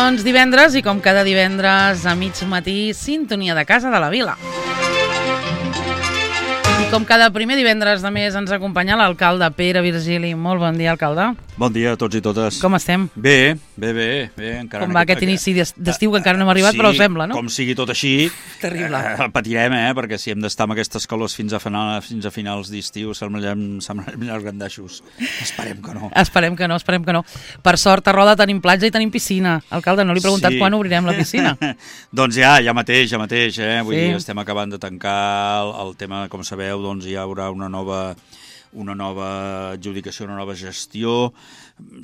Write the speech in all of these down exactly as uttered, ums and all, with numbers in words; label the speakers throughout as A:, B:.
A: Doncs divendres, i com cada divendres a mig matí, sintonia de Casa de la Vila. I com cada primer divendres de mes ens acompanya l'alcalde Pere Virgili. Molt bon dia, alcalde.
B: Bon dia a tots i totes.
A: Com estem?
B: Bé, bé, bé. bé encara
A: com va aquest, aquest inici d'estiu que encara no hem arribat,
B: sí,
A: però sembla, no?
B: Com sigui tot així,
A: terrible.
B: Eh, patirem, eh? Perquè si hem d'estar amb aquestes calors fins a, final, fins a finals d'estiu, semblarem, semblarem els gandaixos. Esperem que no.
A: Esperem que no, esperem que no. Per sort, a Roda tenim platja i tenim piscina. Alcalde, no li he preguntat
B: sí.
A: quan obrirem la piscina.
B: Doncs ja, ja mateix, ja mateix, eh? Vull
A: sí.
B: dir, estem acabant de tancar el, el tema, com sabeu, doncs hi haurà una nova... una nova adjudicació, una nova gestió.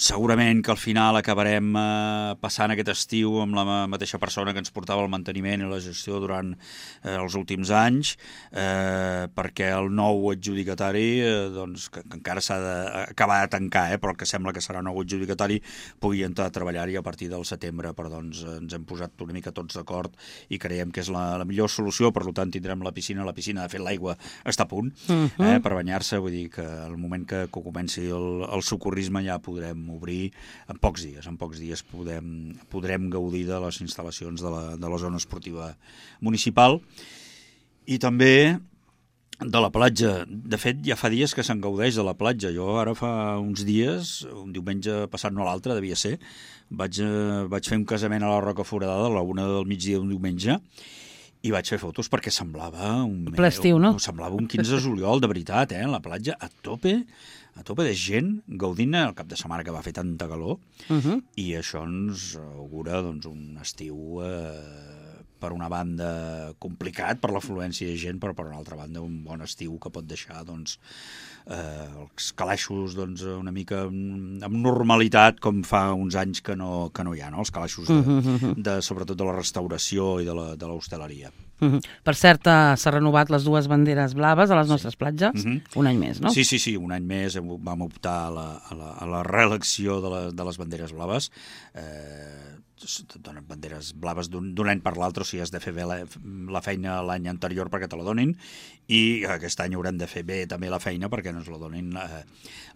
B: Segurament que al final acabarem eh, passant aquest estiu amb la mateixa persona que ens portava el manteniment i la gestió durant eh, els últims anys, eh, perquè el nou adjudicatari, eh, doncs, que, que encara s'ha d'acabar de tancar, eh, però el que sembla que serà nou adjudicatari, pugui entrar a treballar-hi a partir del setembre, però doncs ens hem posat una mica tots d'acord i creiem que és la, la millor solució, per tant tindrem la piscina, la piscina, de fet l'aigua està a punt uh-huh. eh, per banyar-se, vull dir que al moment que, que comenci el, el socorrisme ja podrem obrir en pocs dies. En pocs dies podem, podrem gaudir de les instal·lacions de la, de la zona esportiva municipal i també de la platja. De fet, ja fa dies que se'n gaudeix de la platja. Jo ara fa uns dies, un diumenge passat no l'altre, devia ser, vaig, vaig fer un casament a la Roca Foradada a la una del migdia d'un diumenge i vaig fer fotos perquè semblava un...
A: ple estiu, no?
B: Semblava un quinze de juliol, de veritat, eh? La platja a tope, a tope de gent, gaudint el cap de setmana que va fer tanta calor, uh-huh. i això ens augura doncs, un estiu, eh, per una banda, complicat per l'afluència de gent, però per una altra banda un bon estiu que pot deixar doncs, eh, els calaixos doncs, una mica amb normalitat, com fa uns anys que no, que no hi ha, no? Els calaixos, de, uh-huh. de, sobretot de la restauració i de la, de l'hostaleria.
A: Uh-huh. Per cert, s'ha renovat les dues banderes blaves a les nostres sí. platges, uh-huh. un any més, no?
B: Sí, sí, sí, un any més vam optar a la, a la, a la reelecció de, la, de les banderes blaves. Eh, donen banderes blaves d'un any per l'altre, o sigui, has de fer bé la, la feina l'any anterior perquè te la donin i aquest any haurem de fer bé també la feina perquè no ens la donin eh,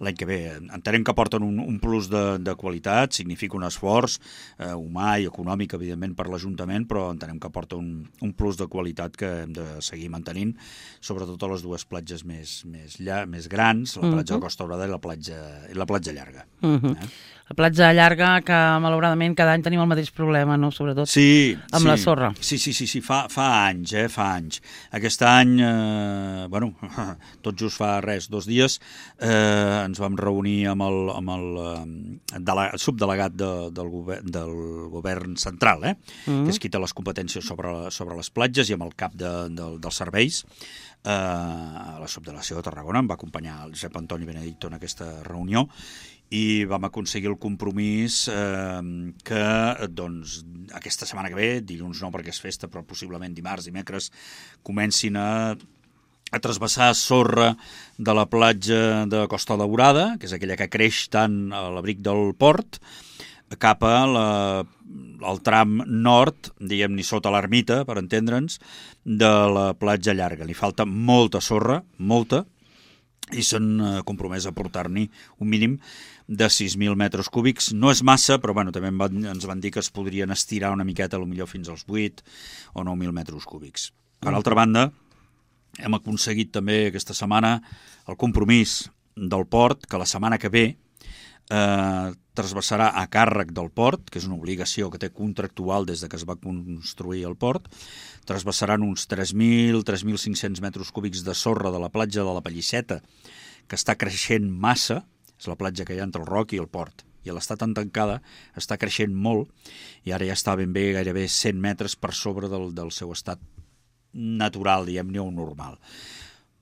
B: l'any que ve. Entenem que porten un, un plus de, de qualitat, significa un esforç eh, humà i econòmic, evidentment, per l'Ajuntament, però entenem que porta un, un plus de qualitat que hem de seguir mantenint, sobretot a les dues platges més, més, lla, més grans, la platja uh-huh. de Costa Daurada i la platja, i la platja llarga.
A: Uh-huh.
B: eh?
A: La platja llarga, que malauradament cada any tenim el mateix problema, no? Sobretot
B: sí,
A: amb
B: sí.
A: la sorra.
B: Sí, sí, sí, sí. Fa, fa anys, eh, fa anys. Aquest any, eh, bueno, tot just fa res, dos dies, eh, ens vam reunir amb el, amb el, el, el subdelegat de, del, govern, del govern central, eh, mm. que és qui té les competències sobre, sobre les platges, i amb el cap de, de, dels serveis. Eh, a la subdelegació de Tarragona em va acompanyar el Josep Antoni Benedicto en aquesta reunió i vam aconseguir el compromís eh, que doncs, aquesta setmana que ve, dilluns no perquè és festa, però possiblement dimarts, dimecres, comencin a, a trasbassar sorra de la platja de Costa Daurada, que és aquella que creix tant a l'abric del port, cap a la, el tram nord, diguem-ne sota l'ermita, per entendre'ns, de la platja llarga. Li falta molta sorra, molta, i s'han compromès a portar-n'hi un mínim de sis mil metres cúbics. No és massa, però bueno, també van, ens van dir que es podrien estirar una miqueta, potser fins als vuit o nou mil metres cúbics. Per altra banda, hem aconseguit també aquesta setmana el compromís del port, que la setmana que ve eh, trasbassarà a càrrec del port, que és una obligació que té contractual des de que es va construir el port, trasbassaran uns tres mil, tres mil cinc-cents metres cúbics de sorra de la platja de la Pelliceta, que està creixent massa, és la platja que hi ha entre el Roc i el port, i a l'estar tan tancada està creixent molt, i ara ja està ben bé gairebé cent metres per sobre del, del seu estat natural, diguem-ne, o normal.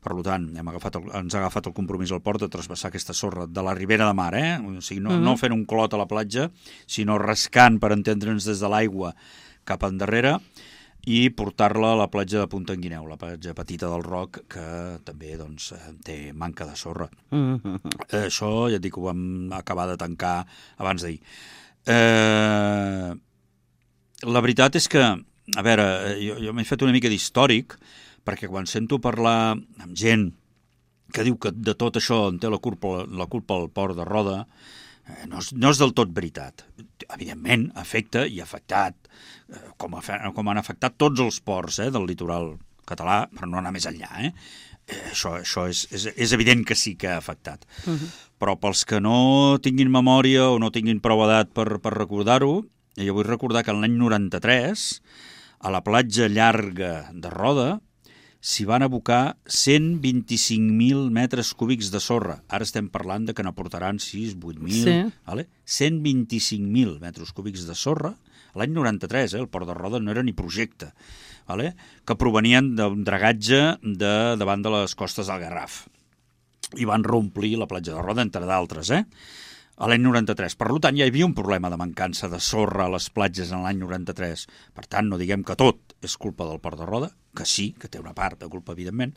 B: Per tant, hem agafat el, ens ha agafat el compromís al port de trasbassar aquesta sorra de la ribera de mar, eh? O sigui, no, uh-huh. no fent un clot a la platja, sinó rascant, per entendre'ns, des de l'aigua cap endarrere, i portar-la a la platja de Punta en Guineu, la platja petita del Roc, que també doncs, té manca de sorra. Uh-huh. Això ja et dic que ho vam acabar de tancar abans d'ahir. Eh, la veritat és que, a veure, jo, jo m'he fet una mica d'històric, perquè quan sento parlar amb gent que diu que de tot això en té la culpa, la culpa al port de Roda, Eh, no, és, no és del tot veritat. Evidentment, afecta i ha afectat, eh, com, ha, com han afectat tots els ports eh, del litoral català, però no anar més enllà, eh? eh això això és, és, és evident que sí que ha afectat. Uh -huh. Però pels que no tinguin memòria o no tinguin prou edat per, per recordar-ho, jo vull recordar que l'any noranta-tres, a la platja llarga de Roda, s'hi van abocar cent vint-i-cinc mil metres cúbics de sorra. Ara estem parlant de que n'aportaran sis, vuit mil... Sí. Vale? cent vint-i-cinc mil metres cúbics de sorra, l'any noranta-tres, eh? El port de Roda no era ni projecte, vale? Que provenien d'un dragatge de, davant de les costes del Garraf. I van reomplir la platja de Roda, entre d'altres, eh? a l'any noranta-tres. Per tant, ja hi havia un problema de mancança de sorra a les platges en l'any noranta-tres. Per tant, no diguem que tot és culpa del Port de Roda, que sí, que té una part de culpa, evidentment,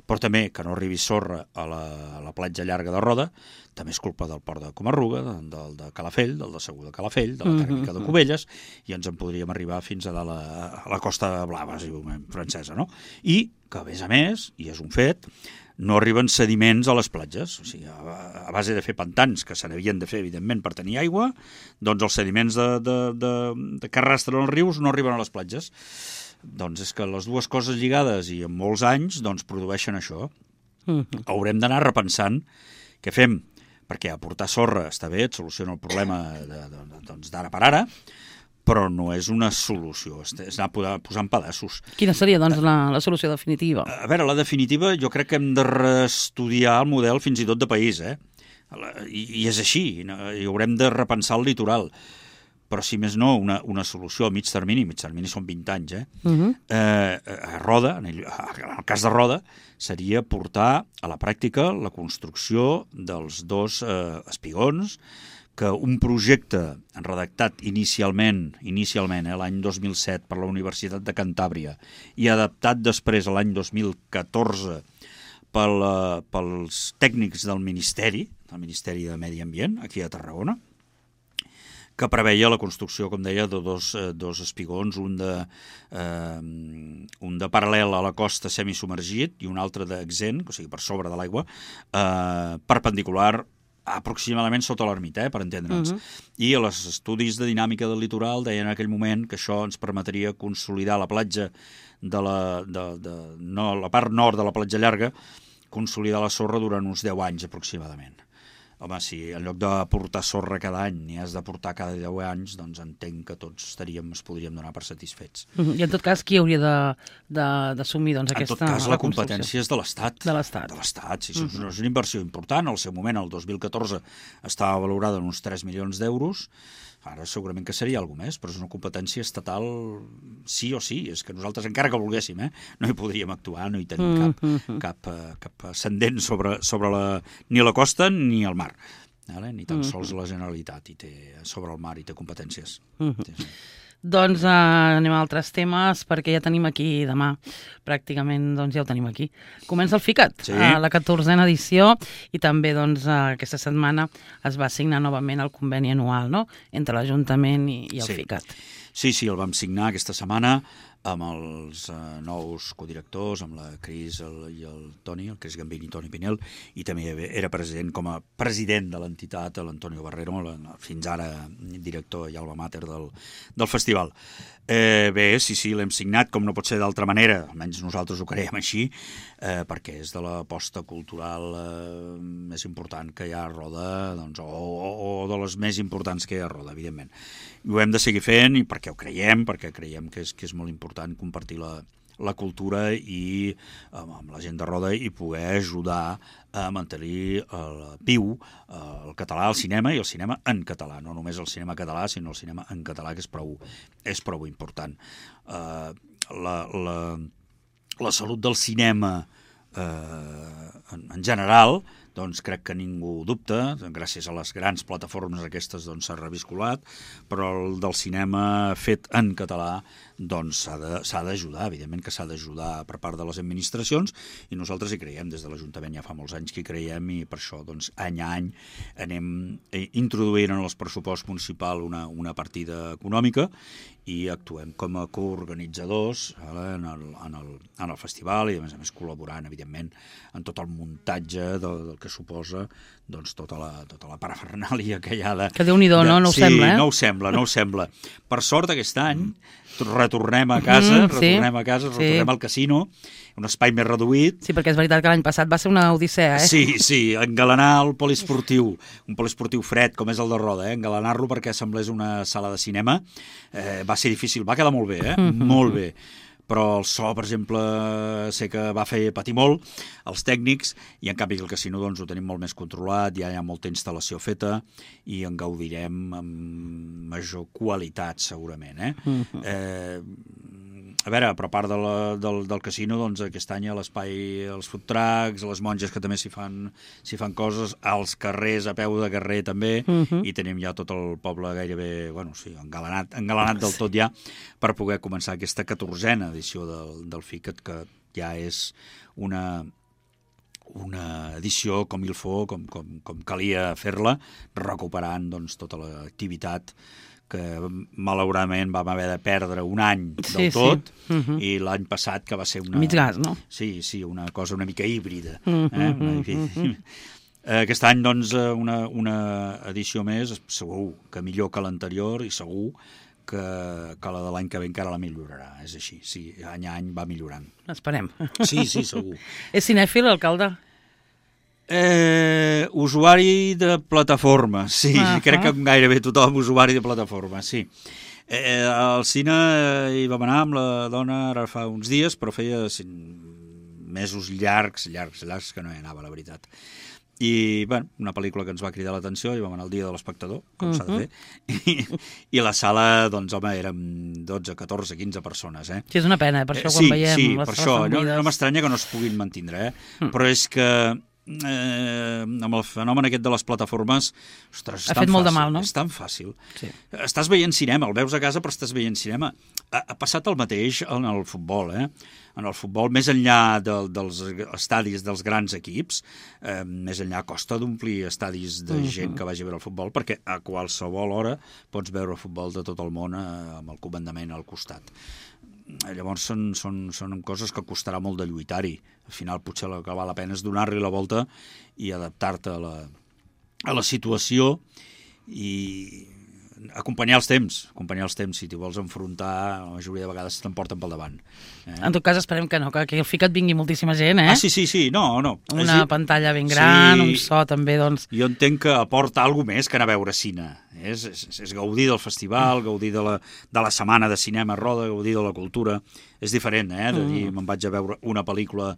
B: però també que no arribi sorra a la, a la platja llarga de Roda, també és culpa del Port de Comarruga, del de, de Calafell, del de Segur de Calafell, de la tèrmica de Cubelles, i ens en podríem arribar fins a, de la, a la Costa Blava, si volem, francesa, no? I que, a més a més, i és un fet, no arriben sediments a les platges. O sigui, a, a base de fer pantans, que se n'havien de fer, evidentment, per tenir aigua, doncs els sediments de, de, de, de que arrastren els rius no arriben a les platges. Doncs és que les dues coses lligades i en molts anys doncs produeixen això. Mm-hmm. Haurem d'anar repensant què fem, perquè aportar sorra està bé, et soluciona el problema de, de, doncs d'ara per ara, però no és una solució, és anar posant pedaços.
A: Quina seria, doncs, la, la solució definitiva?
B: A veure, la definitiva jo crec que hem de reestudiar el model fins i tot de país, eh? I, i és així, i haurem de repensar el litoral. Però, si més no, una, una solució a mig termini, mig termini són vint anys, eh? Uh-huh. eh a Roda, en el, en el cas de Roda, seria portar a la pràctica la construcció dels dos eh, espigons, que un projecte redactat inicialment, inicialment eh, l'any dos mil set per la Universitat de Cantàbria i adaptat després a l'any dos mil catorze pel, uh, pels tècnics del Ministeri, del Ministeri de Medi Ambient, aquí a Tarragona, que preveia la construcció, com deia, de dos, eh, dos espigons, un de, eh, un de paral·lel a la costa semisubmergit i un altre d'exent, o sigui, per sobre de l'aigua, eh, perpendicular aproximadament sota l'ermita, eh, per entendre'ns. Uh-huh. I els estudis de dinàmica del litoral deien en aquell moment que això ens permetria consolidar la platja de la, de, de, no, la part nord de la platja llarga, consolidar la sorra durant uns deu anys aproximadament. Home, si en lloc de portar sorra cada any n'hi has de portar cada deu anys, doncs entenc que tots estaríem, es podríem donar per satisfets.
A: Uh-huh. I en tot cas, qui hauria d'assumir doncs, aquesta...
B: En tot cas, la competència és de l'Estat.
A: De l'Estat.
B: De l'Estat, sí, uh-huh. És una inversió important. Al seu moment, el dos mil catorze, estava valorada en uns tres milions d'euros. Ara segurament que seria alguna més, però és una competència estatal sí o sí. És que nosaltres, encara que volguéssim, eh, no hi podríem actuar, no hi tenim cap, mm-hmm. cap, cap ascendent sobre, sobre la, ni la costa ni el mar. Vale? Ni tan mm-hmm. sols la Generalitat i té, sobre el mar i té competències. Mm-hmm. Sí, sí.
A: Doncs uh, anem a altres temes, perquè ja tenim aquí demà, pràcticament doncs, ja ho tenim aquí. Comença el FICAT, sí. uh, la catorzena edició, i també doncs, uh, aquesta setmana es va signar novament el conveni anual, no?, entre l'Ajuntament i, i el
B: sí.
A: FICAT.
B: Sí, sí, el vam signar aquesta setmana amb els uh, nous codirectors, amb la Cris el, i el Toni, el Cris Gambini i Toni Pinel, i també era president com a president de l'entitat, l'Antonio Barrero, la, fins ara director i alma mater del, del festival. Eh, bé, sí, sí, l'hem signat, com no pot ser d'altra manera, almenys nosaltres ho creiem així, eh, perquè és de l'aposta cultural eh, més important que hi ha a Roda, doncs, o, o, o de les més importants que hi ha a Roda, evidentment. I ho hem de seguir fent, i perquè ho creiem, perquè creiem que és, que és molt important compartir la, la cultura i amb, amb la gent de Roda i poder ajudar a mantenir el viu el català al cinema i el cinema en català, no només el cinema català sinó el cinema en català, que és prou, és prou important. Uh, la, la, la salut del cinema uh, en, en general, doncs crec que ningú dubta, gràcies a les grans plataformes aquestes doncs s'ha reviscolat, però el del cinema fet en català doncs s'ha d'ajudar, evidentment que s'ha d'ajudar per part de les administracions, i nosaltres hi creiem, des de l'Ajuntament ja fa molts anys que hi creiem, i per això doncs any a any anem introduint en el pressupost municipal una, una partida econòmica i actuem com a coorganitzadors eh, en, el, en, el, en el festival, i a més a més col·laborant evidentment en tot el muntatge del, del que suposa doncs, tota la, tota la parafernàlia que hi ha de...
A: Que Déu-n'hi-do,
B: de,
A: no? No ho
B: sí,
A: sembla, eh?
B: no ho sembla, no ho sembla. Per sort, aquest any, retornem a casa, mm, sí. retornem a casa, retornem sí. al casino, un espai més reduït.
A: Sí, perquè és veritat que l'any passat va ser una odissea, eh?
B: Sí, sí, engalanar el poliesportiu, un poliesportiu fred, com és el de Roda, eh? engalanar-lo perquè semblés una sala de cinema, eh, va ser difícil, va quedar molt bé, eh? Mm-hmm. molt bé. Però el so, per exemple, sé que va fer patir molt els tècnics i en canvi el casino doncs, ho tenim molt més controlat, ja hi ha molta instal·lació feta i en gaudirem amb major qualitat segurament. Eh? Mm-hmm. eh, a veure, però a part de la, del, del casino, doncs aquest any a l'espai, els food trucks, les monges que també s'hi fan, s'hi fan coses, als carrers, a peu de carrer també, mm-hmm. i tenim ja tot el poble gairebé, bueno, sí, engalanat, engalanat del tot ja, per poder començar aquesta catorzena edició del, del FICAT, que ja és una, una edició com il faut, com, com, com calia fer-la, recuperant doncs, tota l'activitat que malauradament vam haver de perdre un any del sí, tot, sí. Uh-huh. i l'any passat que va ser una...
A: Mig gas, no?
B: Sí, sí, una cosa una mica híbrida. Uh-huh. Eh? Una... Uh-huh. Aquest any, doncs, una, una edició més, segur que millor que l'anterior i segur que, que la de l'any que ve encara la millorarà. És així, sí, any a any va millorant.
A: Esperem.
B: Sí, sí, segur.
A: És cinèfil, alcalde?
B: Eh, usuari de plataforma, sí, uh-huh. crec que gairebé tothom usuari de plataforma, sí. Eh, al cine hi vam anar amb la dona ara fa uns dies, però feia mesos llargs, llargs, llargs que no hi anava, la veritat. I, bueno, una pel·lícula que ens va cridar l'atenció, i vam anar al dia de l'espectador, com uh-huh. s'ha de fer, I, i la sala, doncs, home, érem dotze, catorze, quinze persones, eh?
A: Sí, és una pena, eh? Per això
B: eh,
A: quan
B: sí,
A: veiem
B: sí,
A: les
B: per això, no,
A: buides...
B: no m'estranya que no es puguin mantindre, eh? Mm. Però és que eh, amb el fenomen aquest de les plataformes, ostres, és
A: ha
B: tan
A: fet molt
B: fàcil,
A: de mal, no?
B: És tan fàcil.
A: Sí.
B: Estàs veient cinema, el veus a casa, però estàs veient cinema. Ha, ha passat el mateix en el futbol, eh? En el futbol, més enllà de, dels estadis dels grans equips, eh, més enllà costa d'omplir estadis de uh-huh. gent que vagi a veure el futbol, perquè a qualsevol hora pots veure futbol de tot el món eh, amb el comandament al costat. Llavors són, són, són coses que costarà molt de lluitar-hi. Al final potser el que val la pena és donar-li la volta i adaptar-te a la, a la situació i acompanyar els temps, acompanyar els temps. Si t'hi vols enfrontar, la majoria de vegades t'emporten pel davant. Eh?
A: En tot cas esperem que no, que, que el FICAT vingui moltíssima gent, eh?
B: Ah, sí, sí, sí, no, no.
A: Una
B: és...
A: pantalla ben gran,
B: sí.
A: un so també, doncs...
B: Jo entenc que aporta alguna més que anar a veure cine. És, és, és gaudir del festival, gaudir de la, de la setmana de cinema a Roda, gaudir de la cultura. És diferent, eh? De dir, me'n vaig a veure una pel·lícula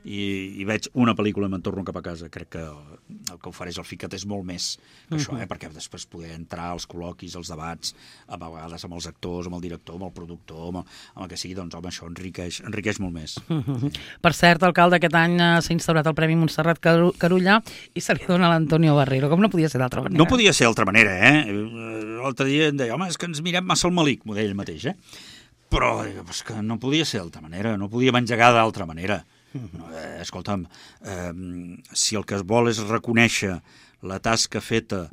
B: i, i veig una pel·lícula i me'n torno cap a casa. Crec que el que ofereix el FICAT és molt més que això, eh? Perquè després poder entrar als col·loquis, als debats, a vegades amb els actors, amb el director, amb el productor, amb el, amb el que sigui, doncs, home, això enriqueix, enriqueix molt més.
A: Uh-huh. Per cert, alcalde, aquest any s'ha instaurat el Premi Montserrat Carulla i se li dona a l'Antonio Barrero, com no podia ser d'altra manera.
B: No podia ser d'altra manera, eh? L'altre dia em deia, home, és que ens mirem massa el malic, m'ho deia ell mateix, eh? Però és que no podia ser d'altra manera, no podíem engegar d'altra manera. No, eh, escolta'm, eh, si el que es vol és reconèixer la tasca feta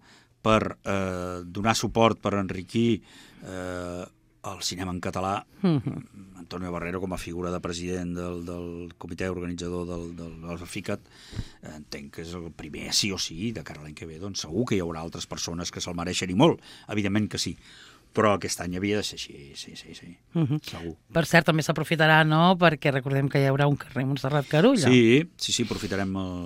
B: per eh, donar suport, per enriquir eh, el cinema en català, uh-huh. Antonio Barrero, com a figura de president del, del comitè organitzador del, del, del FICAT, eh, entenc que és el primer, sí o sí, de cara a l'any que ve, doncs segur que hi haurà altres persones que se'l mereixen i molt, evidentment que sí. Però aquest any havia de ser així, sí, sí, sí, uh-huh. segur.
A: Per cert, també s'aprofitarà, no?, perquè recordem que hi haurà un carrer Montserrat Carulla.
B: Sí, sí, sí, aprofitarem el,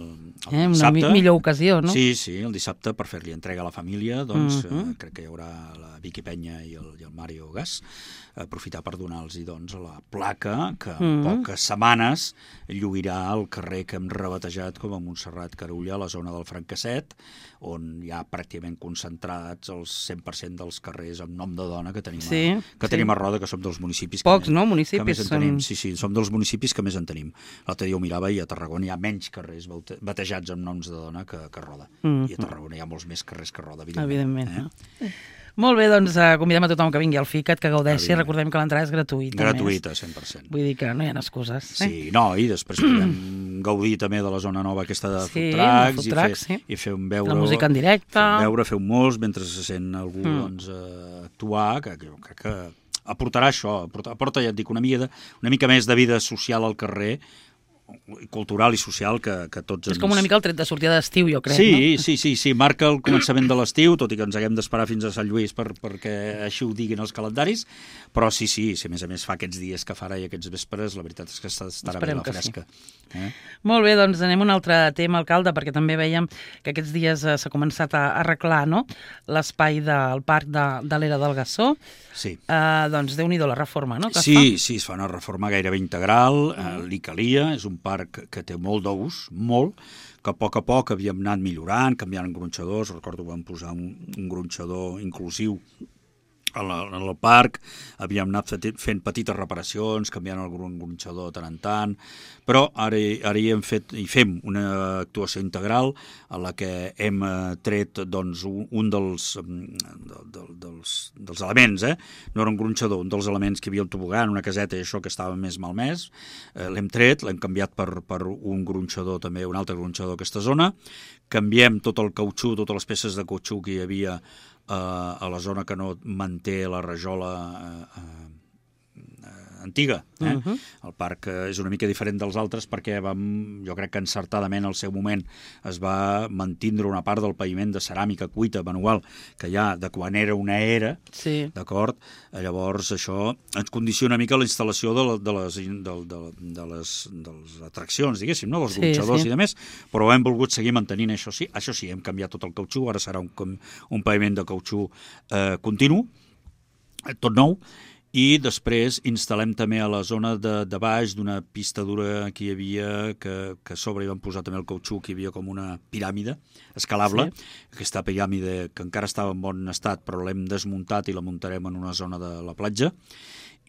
B: el
A: eh,
B: dissabte.
A: Una mi- millor ocasió, no?
B: Sí, sí, el dissabte per fer-li entrega a la família, doncs uh-huh. eh, crec que hi haurà la Vicky Penya i el, i el Mario Gas, aprofitar per donar-los doncs, la placa que en uh-huh. poques setmanes lluirà el carrer que hem rebatejat com a Montserrat Carulla, a la zona del Francasset, on hi ha pràcticament concentrats el cent per cent dels carrers amb nom de dona que tenim,
A: sí,
B: a, que
A: sí.
B: tenim a Roda, que som dels municipis
A: Pocs,
B: que,
A: no?
B: més,
A: Municipis
B: que més en tenim.
A: són...
B: Sí, sí, som dels municipis que més en tenim. L'altre dia ho mirava i a Tarragona hi ha menys carrers batejats amb noms de dona que, que Roda. Mm-hmm. I a Tarragona hi ha molts més carrers que Roda, evidentment.
A: Evidentment,
B: eh?
A: no? Molt bé, doncs uh, convidem a tothom que vingui al FICAT, que gaudeixi. Recordem que l'entrada és gratuïta.
B: Gratuïta, cent per cent.
A: Vull dir que no hi ha excuses. Eh?
B: Sí, no, i després podem gaudir també de la zona nova aquesta de
A: sí,
B: food trucks,
A: food
B: i,
A: trucks
B: fer,
A: sí.
B: i fer un veure...
A: La música en directe.
B: Fer un veure, fer un mos, mentre se sent algú mm. doncs, uh, actuar, que, que, que, que aportarà això, aporta, aporta, ja et dic, una mica, de, una mica més de vida social al carrer, cultural i social que, que tots ens...
A: És com una mica el tret de sortida d'estiu, jo crec,
B: sí,
A: no?
B: Sí, sí, sí, marca el començament de l'estiu, tot i que ens haguem d'esperar fins a Sant Lluís per, perquè així ho diguin els calendaris, però sí, sí, si a més a més fa aquests dies que farà i aquests vespres, la veritat és que estarà bé la fresca.
A: Sí. Eh? Molt bé, doncs anem a un altre tema, alcalde, perquè també veiem que aquests dies eh, s'ha començat a arreglar, no?, l'espai del parc de, de l'Era del Gassó.
B: Sí.
A: Eh, doncs déu-n'hi-do la reforma, no?, que
B: sí,
A: es fa.
B: Sí, es fa una reforma gairebé integral, eh, li calia, és un parc que té molt d'ús, molt, que a poc a poc havíem anat millorant, canviant gronxadors, recordo que vam posar un, un gronxador inclusiu en el parc, havíem anat fent petites reparacions, canviant el gronxador de tant en tant, però ara, ara hi hem fet, hi fem una actuació integral a la que hem tret doncs, un dels, dels, dels elements, eh? No era un gronxador, un dels elements que hi havia el tobogan, una caseta i això que estava més malmès, eh, l'hem tret, l'hem canviat per, per un gronxador també, un altre gronxador d'aquesta zona, canviem tot el cautxú, totes les peces de cautxú que hi havia Uh, a la zona que no manté la rajola uh, uh, antiga. Eh? Uh-huh. El parc uh, és una mica diferent dels altres perquè vam, jo crec que encertadament al seu moment es va mantindre una part del paviment de ceràmica cuita manual que ja de quan era una era,
A: sí.
B: D'acord? Llavors això ens condiciona una mica la instal·lació de, la, de, les, de, de, de, les, de les atraccions, diguéssim, no? Dels gronxadors sí, sí. I de més, però hem volgut seguir mantenint això sí. Això sí, hem canviat tot el cautxú, ara serà un, un paviment de cautxú eh, continu, tot nou, i després instal·lem també a la zona de, de baix d'una pista dura que hi havia, que, que a sobre hi vam posar també el cautxú, que hi havia com una piràmide escalable, sí. Aquesta piràmide que encara estava en bon estat però l'hem desmuntat i la muntarem en una zona de la platja,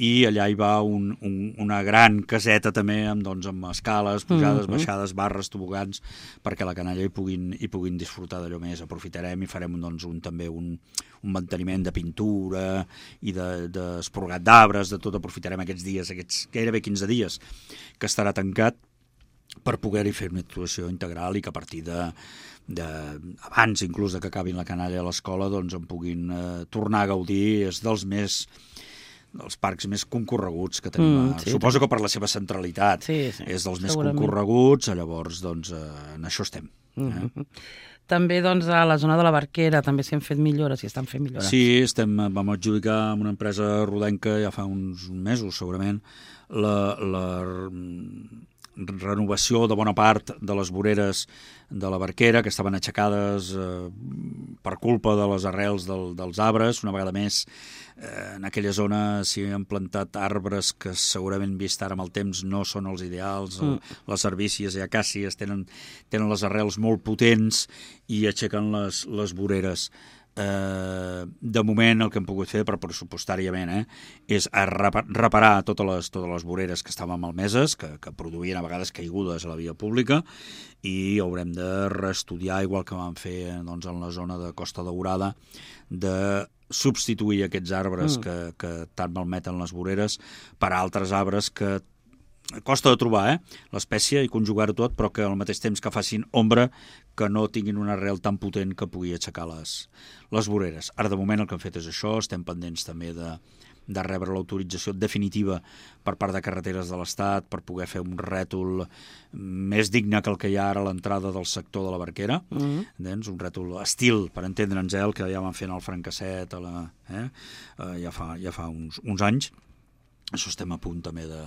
B: i allà hi va un, un, una gran caseta també amb, doncs, amb escales, pujades, mm-hmm. baixades, barres, tobogans, perquè la canalla hi puguin, hi puguin disfrutar d'allò més. Aprofitarem i farem doncs, un, també un, un manteniment de pintura i d'esporgat de, d'arbres, de tot aprofitarem aquests dies, aquests gairebé quinze dies que estarà tancat per poder-hi fer una actuació integral i que a partir de, de abans inclús de que acabin la canalla a l'escola doncs en puguin eh, tornar a gaudir. És dels més dels parcs més concorreguts que tenim. Mm, sí, Suposo que per la seva centralitat
A: sí, sí,
B: és dels més concorreguts, llavors doncs, eh, en això estem. Eh?
A: Mm-hmm. També doncs, a la zona de la Barquera també s'hi han fet millores, s'hi estan fent millores.
B: Sí, estem, vam adjudicar amb una empresa rodenca ja fa uns mesos segurament la, la renovació de bona part de les voreres de la Barquera, que estaven aixecades eh, per culpa de les arrels del, dels arbres. Una vegada més, eh, en aquella zona s'hi han plantat arbres que segurament vist ara amb el temps no són els ideals. Mm. Les herbícies i acàcies tenen, tenen les arrels molt potents i aixequen les, les voreres. Eh, de moment el que hem pogut fer per pressupostàriament eh, és reparar totes les, totes les voreres que estaven malmeses, que, que produïen a vegades caigudes a la via pública, i haurem de reestudiar, igual que vam fer doncs, en la zona de Costa Daurada, de substituir aquests arbres mm. que, que tant malmeten les voreres per altres arbres que costa de trobar, eh? l'espècie, i conjugar-ho tot, però que al mateix temps que facin ombra, que no tinguin una arrel tan potent que pugui aixecar les, les voreres. Ara, de moment, el que hem fet és això. Estem pendents també de, de rebre l'autorització definitiva per part de Carreteres de l'Estat per poder fer un rètol més digne que el que hi ha ara a l'entrada del sector de la Barquera. Mm-hmm. doncs, un rètol estil, per entendre'ns, el que ja van fent al Francasset, a la, eh? Uh, ja fa, ja fa uns, uns anys. Això estem a punt també de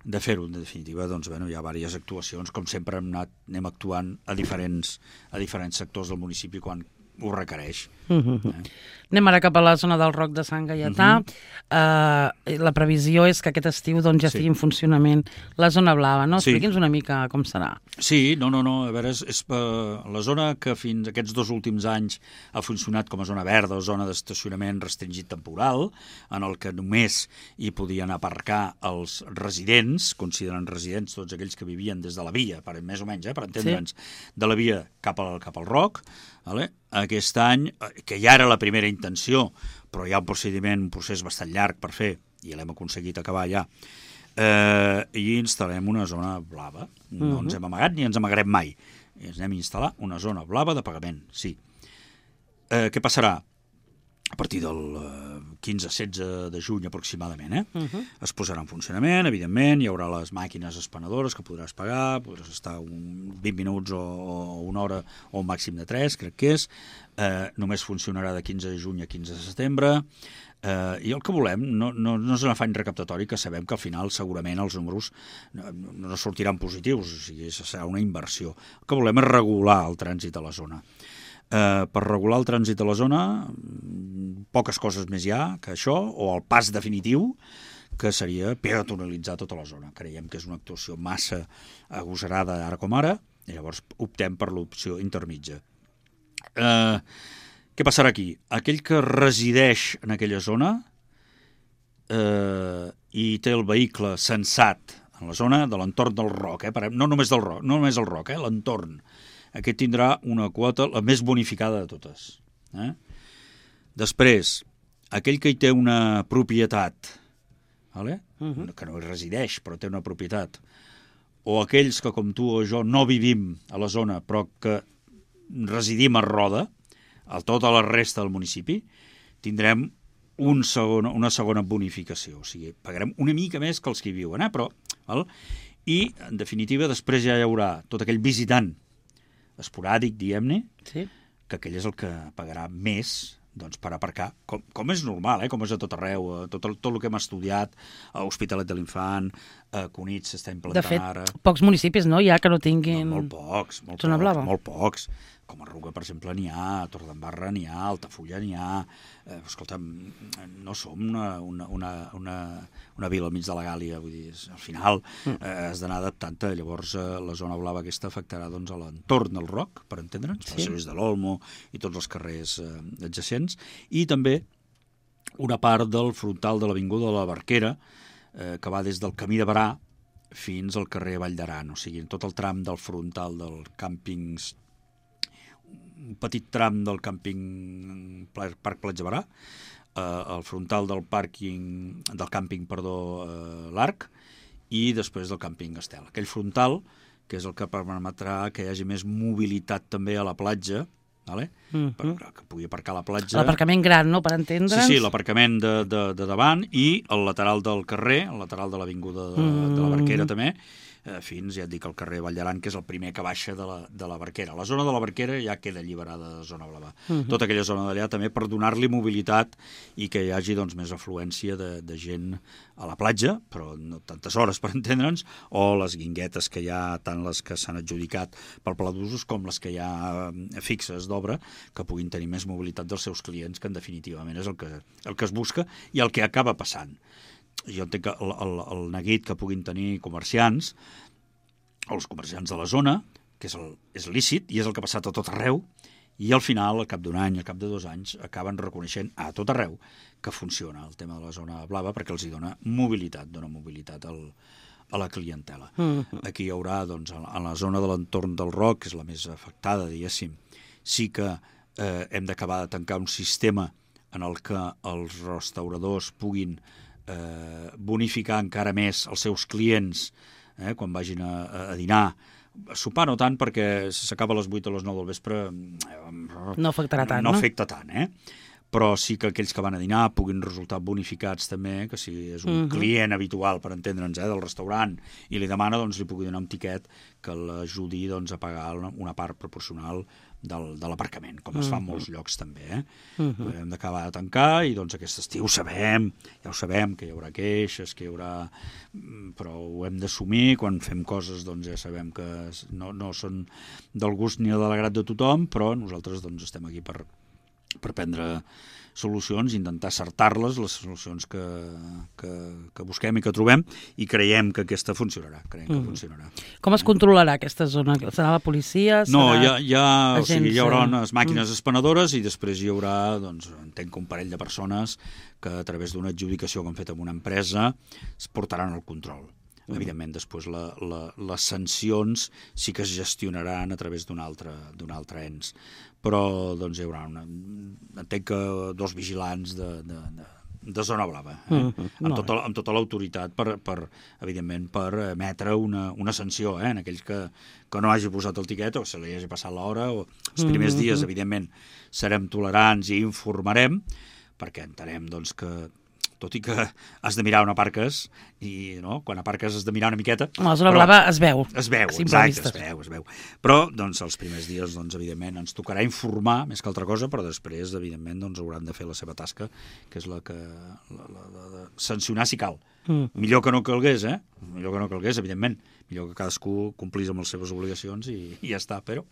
B: de fer-ho, en definitiva, doncs, bueno, hi ha diverses actuacions, com sempre hem anat, anem actuant a diferents, a diferents sectors del municipi quan ho requereix.
A: Mm-hmm. eh? Anem ara cap a la zona del Roc de Sant Gaietà. Mm-hmm. uh, la previsió és que aquest estiu doncs, ja sí. estigui en funcionament la zona blava, no? Expliqui'ns sí. una mica com serà.
B: Sí, no, no, no, a veure, és, és la zona que fins aquests dos últims anys ha funcionat com a zona verda o zona d'estacionament restringit temporal, en el que només hi podien aparcar els residents, considerant residents tots aquells que vivien des de la via, per, més o menys, eh, per entendre'ns, sí. de la via cap al, cap al Roc. Vale? Aquest any, que ja era la primera intenció, però hi ha un procediment, un procés bastant llarg per fer, i l'hem aconseguit acabar ja, eh, i instal·lem una zona blava. No uh-huh. ens hem amagat ni ens amagarem mai. I ens anem a instal·lar una zona blava de pagament, sí. Eh, què passarà? a partir del quinze setze de juny aproximadament, eh?
A: Uh -huh.
B: Es posarà en funcionament, evidentment, hi haurà les màquines espanadores que podràs pagar, podràs estar un vint minuts o, o una hora o un màxim de tres, crec que és, eh, només funcionarà de quinze de juny a quinze de setembre, eh, i el que volem no, no, no és un afany recaptatori, que sabem que al final segurament els números no, no sortiran positius, o sigui, serà una inversió. El que volem és regular el trànsit a la zona. Eh, per regular el trànsit a la zona, poques coses més hi ha que això, o el pas definitiu, que seria peatonalitzar tota la zona. Creiem que és una actuació massa agosarada ara com ara, i llavors optem per l'opció intermitja. Eh, què passarà aquí? Aquell que resideix en aquella zona eh, i té el vehicle censat en la zona de l'entorn del Roc, eh, no només del Roc, no només el Roc, eh, l'entorn, aquest tindrà una quota la més bonificada de totes. Eh? Després, aquell que hi té una propietat, vale? Uh-huh. que no hi resideix, però té una propietat, o aquells que, com tu o jo, no vivim a la zona, però que residim a Roda, a tota la resta del municipi, tindrem un segon, una segona bonificació. O sigui, pagarem una mica més que els que hi viuen, eh? Però, val? I, en definitiva, després ja hi haurà tot aquell visitant esporàdic, diguem-ne,
A: sí.
B: que aquell és el que pagarà més doncs, per aparcar, com, com és normal, eh? Com és a tot arreu, tot el, tot el que hem estudiat, a Hospitalet de l'Infant, a Cunit s'està implantant
A: de fet,
B: ara.
A: Pocs municipis, no?, ja que no tinguin...
B: No, molt pocs, molt
A: zona
B: pocs,
A: blava.
B: molt pocs. Com a Ruga, per exemple, n'hi ha, a Torredembarra n'hi ha, a Altafulla n'hi ha... Eh, escolta'm, no som una, una, una, una, una vila al mig de la Gàlia, vull dir, al final eh, has d'anar adaptant-te. Llavors eh, la zona blava aquesta afectarà doncs, a l'entorn del Roc, per entendre'ns, sí. a Lluís de l'Olmo i tots els carrers eh, adjacents, i també una part del frontal de l'avinguda de la Barquera, eh, que va des del camí de Barà fins al carrer Vall d'Aran, o sigui, tot el tram del frontal del càmpings, un petit tram del càmping Parc Platja Barà, eh, el frontal del pàrquing, del càmping, perdó, eh, l'Arc, i després del càmping Estel. Aquell frontal, que és el que permetrà que hi hagi més mobilitat també a la platja, vale?
A: Mm-hmm.
B: per, que pugui aparcar a la platja.
A: L'aparcament gran, no?, per entendre'ns.
B: Sí, sí, l'aparcament de, de, de davant i el lateral del carrer, el lateral de l'avinguda de, mm. de la Barquera també, eh, fins, ja et dic, al carrer Vall d'Aran, que és el primer que baixa de la, de la Barquera. La zona de la Barquera ja queda alliberada de zona blava. Mm-hmm. Tota aquella zona d'allà també per donar-li mobilitat i que hi hagi doncs, més afluència de, de gent a la platja, però no tantes hores per entendre'ns, o les guinguetes que hi ha, tant les que s'han adjudicat pel pla d'usos com les que hi ha fixes d'obra, que puguin tenir més mobilitat dels seus clients, que en definitivament és el que, el que es busca i el que acaba passant. Jo entenc que el, el, el neguit que puguin tenir comerciants, o els comerciants de la zona, que és, el, és lícit i és el que ha passat a tot arreu, i al final, al cap d'un any, al cap de dos anys, acaben reconeixent a tot arreu que funciona el tema de la zona blava perquè els hi dona mobilitat, dona mobilitat al, a la clientela. Mm-hmm. Aquí hi haurà, doncs, a la zona de l'entorn del Roc, que és la més afectada, diguéssim, sí que eh, hem d'acabar de tancar un sistema en el que els restauradors puguin eh, bonificar encara més els seus clients eh, quan vagin a, a dinar. Sopar no tant, perquè s'acaba a les vuit o a les nou del vespre
A: no afectarà tant,
B: no? No afecta tant, eh? Però sí que aquells que van a dinar puguin resultar bonificats també, que si és un uh-huh. client habitual, per entendre'ns, eh, del restaurant, i li demana, doncs li pugui donar un tiquet que l'ajudi doncs, a pagar una part proporcional del, de l'aparcament, com es fa en molts llocs també. Eh? Uh-huh. Hem d'acabar de tancar i doncs aquest estiu sabem, ja ho sabem, que hi haurà queixes, que hi haurà... però ho hem d'assumir, quan fem coses doncs ja sabem que no, no són del gust ni de l'agrat de tothom, però nosaltres doncs estem aquí per, per prendre solucions, intentar acertar-les, les solucions que, que, que busquem i que trobem, i creiem que aquesta funcionarà. Creiem que mm. funcionarà.
A: Com es controlarà aquesta zona? Serà la policia? Serà
B: no, ja, ja, o sigui, hi haurà
A: agents...
B: unes màquines mm. espanadores i després hi haurà, doncs, entenc que un parell de persones que a través d'una adjudicació que han fet amb una empresa es portaran el control. Mm. Evidentment, després la, la, les sancions sí que es gestionaran a través d'un altre, d'un altre ens. Però doncs, hi haurà una, entenc que dos vigilants de, de, de, de zona blava, eh? mm-hmm. amb, tota, amb tota l'autoritat per, per, evidentment, per emetre una, una sanció eh? en aquells que, que no hagi posat el tiquet o se li hagi passat l'hora. O... Els primers mm-hmm. dies, evidentment, serem tolerants i informarem, perquè entenem doncs, que tot i que has de mirar on aparques, i no? Quan aparques has de mirar una miqueta...
A: La zona blava es veu.
B: Es veu, exacte, es veu, es veu. Però, doncs, els primers dies, doncs, evidentment, ens tocarà informar més que altra cosa, però després, evidentment, doncs, hauran de fer la seva tasca, que és la que... La, la, la, de sancionar si cal. Mm. Millor que no calgués, eh? Millor que no calgués, evidentment. Millor que cadascú complís amb les seves obligacions i, i ja està, però...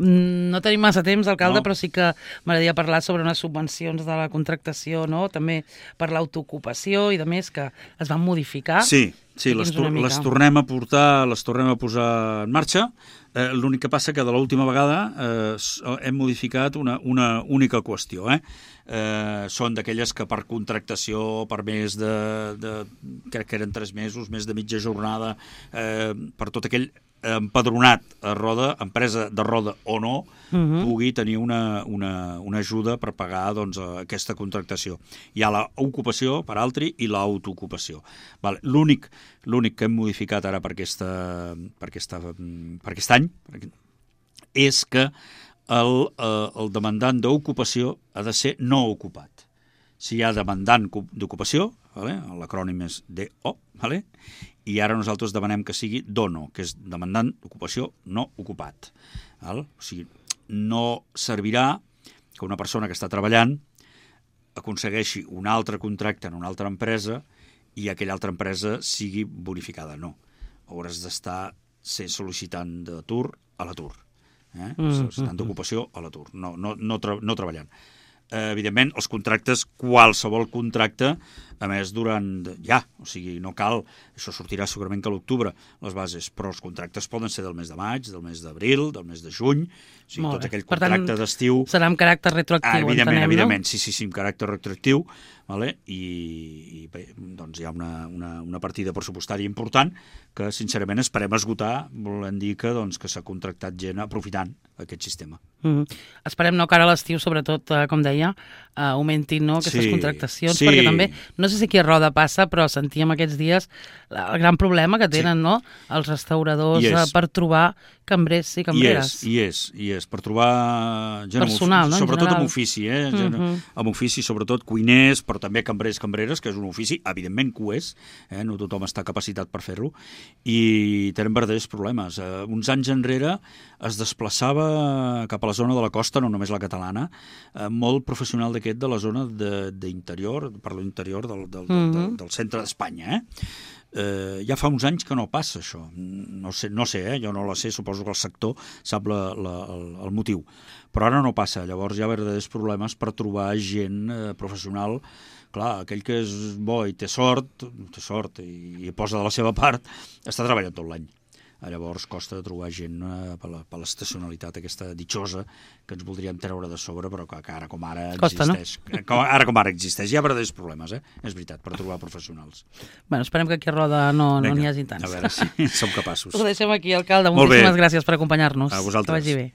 A: No tenim massa temps, alcalde,
B: no.
A: Però sí que m'agradaria parlar sobre unes subvencions de la contractació, no? També per l'autoocupació i de més que es van modificar.
B: Sí, sí, les, tor les tornem a portar, les tornem a posar en marxa. Eh, L'únic que passa que de l'última vegada eh, hem modificat una, una única qüestió. Eh? Eh, són d'aquelles que per contractació, per més de, de... crec que eren tres mesos, més de mitja jornada, eh, per tot aquell empadronat a roda, empresa de roda o no, uh-huh. pugui tenir una, una, una ajuda per pagar doncs, aquesta contractació. Hi ha l'ocupació per altri i l'autoocupació. Vale. L'únic l'únic que hem modificat ara per, aquesta, per, aquesta, per aquest any és que el, el demandant d'ocupació ha de ser no ocupat. Si hi ha demandant d'ocupació, vale? L'acrònim és D O, vale? I ara nosaltres demanem que sigui DONO, que és demandant d'ocupació no ocupat. Val? O sigui, no servirà que una persona que està treballant aconsegueixi un altre contracte en una altra empresa i aquella altra empresa sigui bonificada. No. Hauràs d'estar ser sol·licitant d'atur a l'atur. Eh? Mm, sol·licitant mm, d'ocupació a l'atur, no, no, no, tra no treballant. Eh, evidentment, els contractes, qualsevol contracte, a més, durant... ja, o sigui, no cal... Això sortirà segurament que a l'octubre, les bases, però els contractes poden ser del mes de maig, del mes d'abril, del mes de juny, o sigui, tot aquell contracte d'estiu...
A: Serà amb caràcter retroactiu,
B: ah, evidentment,
A: entenem,
B: evidentment,
A: no?
B: sí, sí, sí, amb caràcter retroactiu, vale? I, i bé, doncs hi ha una, una, una partida pressupostària important que, sincerament, esperem esgotar, volem dir que, doncs, que s'ha contractat gent aprofitant aquest sistema.
A: Mm -hmm. Esperem no que ara a l'estiu, sobretot, eh, com deia, eh, augmentin no, aquestes
B: sí,
A: contractacions,
B: sí.
A: perquè també, no sé si aquí a Roda passa, però sentíem aquests dies el gran problema que tenen sí. no, els restauradors eh, per trobar cambrers i cambreres.
B: I és, i és, i és, per trobar gent
A: personal,
B: amb,
A: no,
B: sobretot
A: amb
B: ofici, eh? Gent, mm -hmm. amb ofici, sobretot cuiners, però també cambrers, cambreres, que és un ofici, evidentment que ho és, eh? No tothom està capacitat per fer-lo, i tenen verdaders problemes. Eh, uns anys enrere es desplaçava cap a la zona de la costa, no només la catalana, eh, molt professional d'aquest de la zona d'interior, per l'interior del, del, del, del, del centre d'Espanya, eh? Eh, ja fa uns anys que no passa això, no sé, no sé eh? jo no la sé, suposo que el sector sap la, la, el, el motiu, però ara no passa, llavors hi ha verdaders problemes per trobar gent eh, professional. Clar, aquell que és bo i té sort, té sort i, i posa de la seva part, està treballant tot l'any. Llavors costa de trobar gent eh, per, la, per l'estacionalitat aquesta ditxosa que ens voldríem treure de sobre, però que, que ara com ara
A: costa,
B: existeix. No? Com, ara com ara existeix. Hi ha verdaders problemes, eh? És veritat, per trobar professionals.
A: Bueno, esperem que aquí a Roda no n'hi no hagi tants.
B: A veure si som capaços.
A: Ho deixem aquí, alcalde. Moltíssimes gràcies per acompanyar-nos.
B: A vosaltres.
A: Que vagi bé.